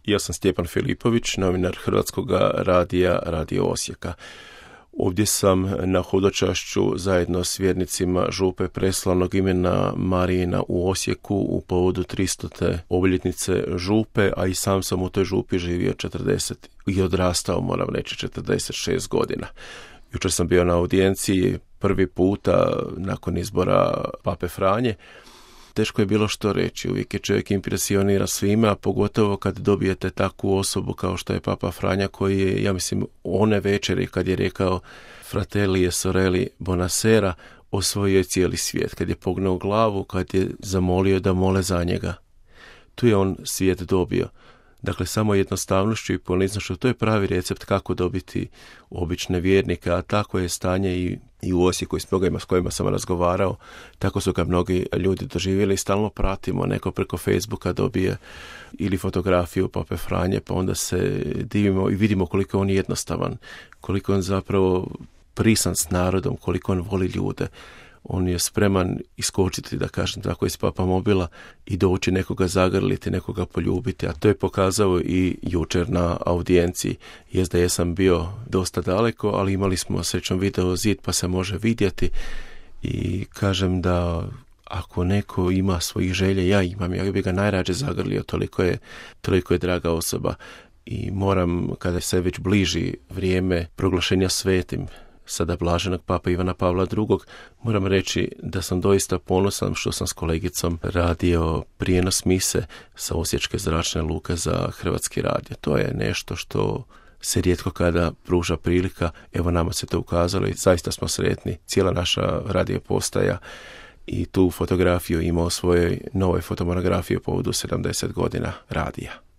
Ja sam Stjepan Filipović, novinar Hrvatskog radija Radio Osijeka. Ovdje sam na hodočašću zajedno s vjernicima župe preslavnog imena Marijina u Osijeku u povodu 300. obljetnice župe, a i sam sam u toj župi živio 40 i odrastao, moram reći, 46 godina. Jučer sam bio na audijenciji prvi puta nakon izbora Pape Franje. Teško je bilo što reći, uvijek je čovjek impresionira svime, a pogotovo kad dobijete takvu osobu kao što je Papa Franja, koji je, ja mislim, one večeri kad je rekao Fratelli e sorelli buonasera, osvojio je cijeli svijet. Kad je pognuo glavu, kad je zamolio da mole za njega, tu je on svijet dobio. Dakle, samo jednostavnošću i poniznošću, to je pravi recept kako dobiti obične vjernike, a tako je stanje i u Osijeku s kojima sam razgovarao, tako su ga mnogi ljudi doživjeli i stalno pratimo, neko preko Facebooka dobije ili fotografiju Pape Franje, pa onda se divimo i vidimo koliko on je jednostavan, koliko on zapravo prisan s narodom, koliko on voli ljude. On je spreman iskočiti, da kažem tako, iz papamobila i doći nekoga zagrliti, nekoga poljubiti, a to je pokazao i jučer na audijenciji. Jest da jesam bio dosta daleko, ali imali smo srećom video zid pa se može vidjeti i kažem da ako neko ima svojih želje, ja imam, ja bi ga najrađe zagrlio, toliko je draga osoba i moram, kada se već bliži vrijeme proglašenja svetim, sada blaženog Papa Ivana Pavla II. Moram reći da sam doista ponosan što sam s kolegicom radio prijenos mise sa Osječke zračne luke za Hrvatski radio. To je nešto što se rijetko kada pruža prilika. Evo, nama se to ukazalo i zaista smo sretni. Cijela naša radio postaja i tu fotografiju ima u svojoj novoj fotomonografiji u povodu 70 godina radija.